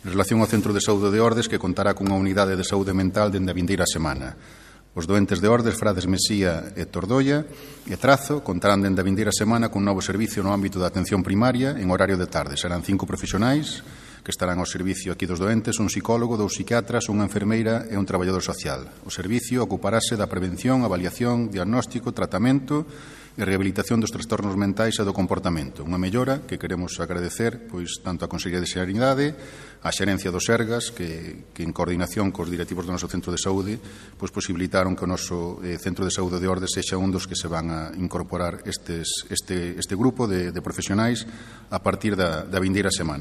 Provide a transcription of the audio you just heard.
En relación ao Centro de Saúde de Ordes, que contará cunha unidade de saúde mental dende a vindeira semana. Os doentes de Ordes, Frades Mesía e Tordoia e Trazo contarán dende a vindeira semana cun novo servicio no ámbito da atención primaria en horario de tarde. Serán 5 profesionais que estarán ao servicio aquí dos doentes, un psicólogo, 2 psiquiatras, unha enfermeira e un traballador social. O servicio ocuparase da prevención, avaliación, diagnóstico, tratamento e rehabilitación dos trastornos mentais e do comportamento. Unha mellora que queremos agradecer pois tanto á Consellería de Sanidade, á Xerencia dos Sergas, que en coordinación cos directivos do noso centro de saúde pois posibilitaron que o noso centro de saúde de Ordes sexa un dos que se van a incorporar este grupo de profesionais a partir da vindeira semana.